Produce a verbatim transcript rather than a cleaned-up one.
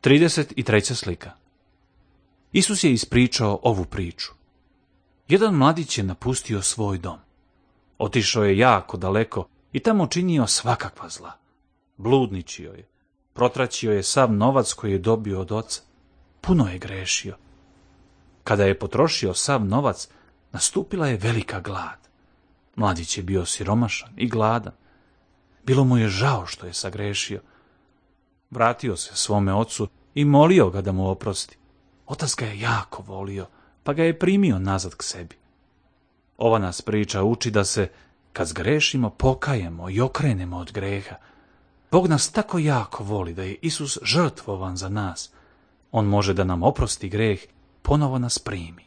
trideset treća slika. Isus je ispričao ovu priču. Jedan mladić je napustio svoj dom. Otišao je jako daleko i tamo činio svakakva zla. Bludničio je, protraćio je sav novac koji je dobio od oca. Puno je grešio. Kada je potrošio sav novac, nastupila je velika glad. Mladić je bio siromašan i gladan. Bilo mu je žao što je sagrešio. Vratio se svome ocu i molio ga da mu oprosti. Otac ga je jako volio, pa ga je primio nazad k sebi. Ova nas priča uči da se, kad zgrešimo, pokajemo i okrenemo od greha. Bog nas tako jako voli da je Isus žrtvovan za nas. On može da nam oprosti greh, ponovo nas primi.